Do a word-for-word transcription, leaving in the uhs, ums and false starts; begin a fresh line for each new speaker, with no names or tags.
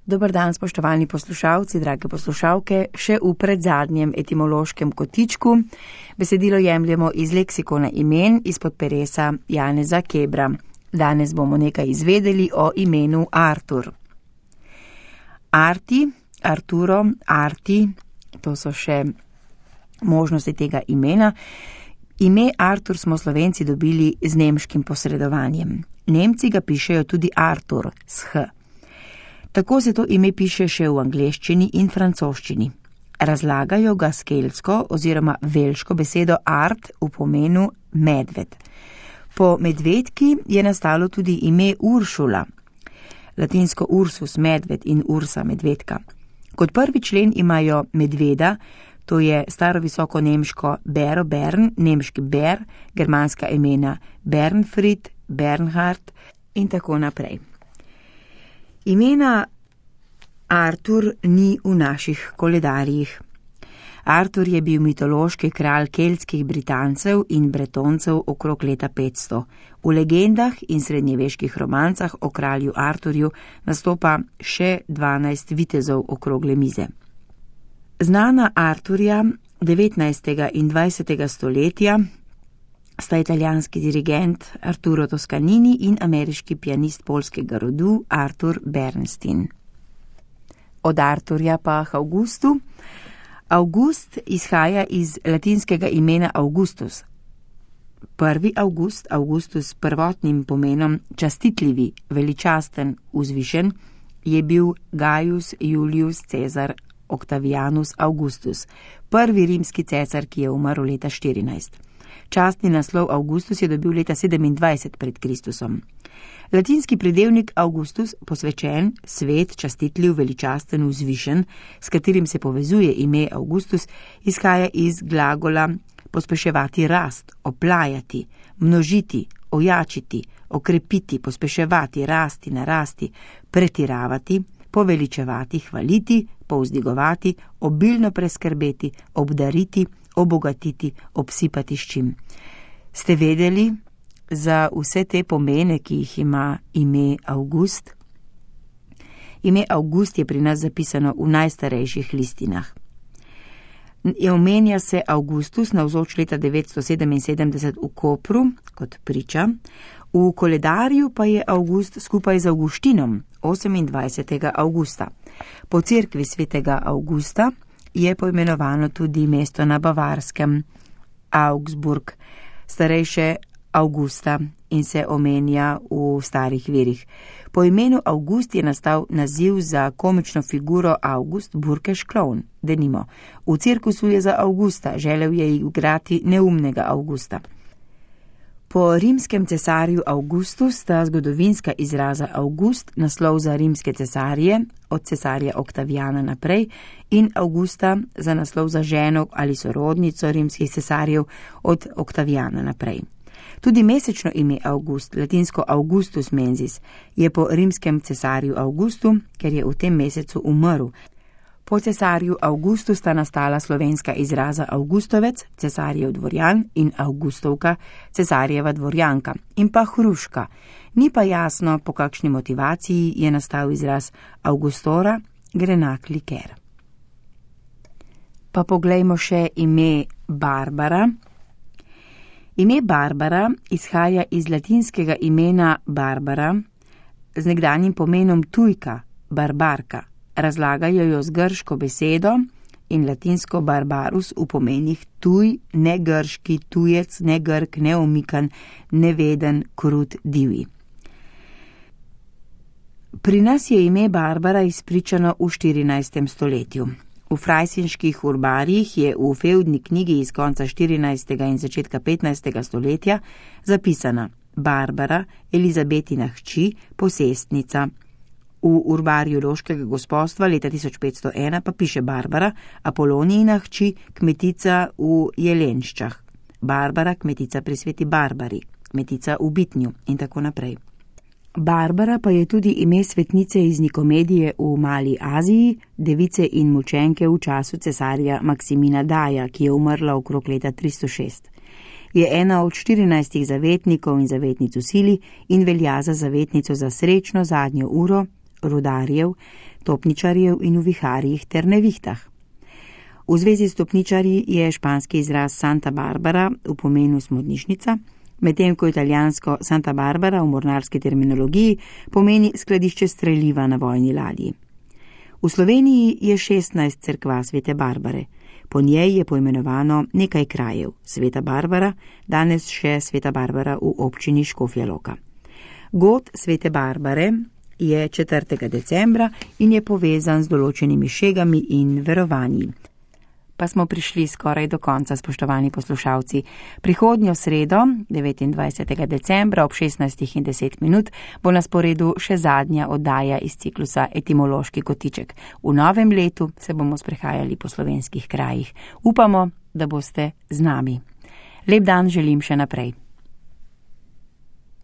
Dober dan, spoštovani poslušalci, drage poslušalke, še v predzadnjem etimološkem kotičku. Besedilo jemljemo iz leksikona imen izpod peresa Janeza Kebra. Danes bomo nekaj izvedeli o imenu Artur. Arti, Arturo, Arti, to so še možnosti tega imena. Ime Artur smo Slovenci dobili z nemškim posredovanjem. Nemci ga pišejo tudi Artur s H. Tako se to ime piše še v angleščini in francoščini. Razlagajo ga s keltsko oziroma velško besedo art v pomenu medved. Po medvedki je nastalo tudi ime Uršula, latinsko ursus medved in ursa medvedka. Kot prvi člen imajo medveda, to je staro visoko nemško bero bern, nemški ber, germanska imena Bernfried, Bernhard in tako naprej. Imena Artur ni v naših koledarjih. Artur je bil mitološki kralj keltskih Britancev in Bretoncev okrog leta petsto. V legendah in srednjeveških romancah o kralju Arturju nastopa še dvanajst vitezov okrogle mize. Znana Arturja devetnajstega in dvajsetega stoletja sta italijanski dirigent Arturo Toscanini in ameriški pianist poljskega rodu Artur Bernstein. Od Arturja pa k Augustu. August izhaja iz latinskega imena Augustus. Prvi August, Augustus s prvotnim pomenom častitljivi, veličasten, vzvišen, je bil Gaius Julius Caesar Octavianus Augustus, prvi rimski cesar, ki je umrl leta štirinajst. Častni naslov Augustus je dobil leta sedemindvajset pred Kristusom. Latinski pridevnik Augustus, posvečen, svet, častitljiv, veličasten, vzvišen, s katerim se povezuje ime Augustus, izhaja iz glagola pospeševati rast, oplajati, množiti, ojačiti, okrepiti, pospeševati, rasti, narasti, pretiravati, poveličevati, hvaliti, povzdigovati, obilno preskrbeti, obdariti, obogatiti, obsipati s čim. Ste vedeli za vse te pomene, ki jih ima ime August? Ime August je pri nas zapisano v najstarejših listinah. Omenja se Augustus navzoč leta devetsto sedeminsedemdeset v Kopru kot priča, v koledarju pa je August skupaj z Avguštinom osemindvajsetega avgusta. Po cerkvi svetega Augusta je poimenovano tudi mesto na Bavarskem, Augsburg, starejše Augusta, in se omenja v starih virih. Po imenu August je nastal naziv za komično figuro August Burkeš klovn, denimo. V cirkusu je za Augusta, želel je igrati neumnega Augusta. Po rimskem cesarju Augustus sta zgodovinska izraza August, naslov za rimske cesarje, od cesarja Octaviana naprej, in Augusta za naslov za ženo ali sorodnico rimskih cesarjev od Octaviana naprej. Tudi mesečno ime August, latinsko Augustus mensis, je po rimskem cesarju Augustu, ker je v tem mesecu umrl. Po cesarju Augustu sta nastala slovenska izraza Augustovec, cesarjev dvorjan, in Augustovka, cesarjeva dvorjanka, in pa hruška. Ni pa jasno, po kakšni motivaciji je nastal izraz Augustora, grenak liker. Pa poglejmo še ime Barbara. Ime Barbara izhaja iz latinskega imena Barbara z nekdanjim pomenom tujka, barbarka. Razlagajo jo z grško besedo in latinsko barbarus v pomenih tuj, negrški, tujec, negrk, neomikan, neveden, krut, divji. Pri nas je ime Barbara izpričano v štirinajstem stoletju. V frajsinških urbarjih je v fevdni knjigi iz konca štirinajstega in začetka petnajstega stoletja zapisana Barbara, Elizabetina hči, posestnica. V urbarju Loškega gospostva leta tisoč petsto ena pa piše Barbara, Apolonijina hči, kmetica v Jelenščah. Barbara, kmetica pri sveti Barbari, kmetica v Bitnju in tako naprej. Barbara pa je tudi ime svetnice iz Nikomedije v Mali Aziji, device in mučenke v času cesarja Maksimina Daja, ki je umrla okrog leta tristo šest. Je ena od štirinajstih zavetnikov in zavetnic v sili in velja za zavetnico za srečno zadnjo uro, rudarjev, topničarjev in v viharjih ter nevihtah. V zvezi s topničarji je španski izraz Santa Barbara v pomenu smodnišnica, medtem ko italijansko Santa Barbara v mornarski terminologiji pomeni skladišče streliva na vojni ladji. V Sloveniji je šestnajst cerkva Svete Barbare. Po njej je poimenovano nekaj krajev. Sveta Barbara, danes še Sveta Barbara v občini Škofja Loka. God Svete Barbare je četrtega decembra in je povezan z določenimi šegami in verovanji. Pa smo prišli skoraj do konca, spoštovani poslušalci. Prihodnjo sredo, devetindvajsetega decembra ob šestnajstih in deset minut, bo na sporedu še zadnja oddaja iz ciklusa Etimološki kotiček. V novem letu se bomo sprehajali po slovenskih krajih. Upamo, da boste z nami. Lep dan želim še naprej.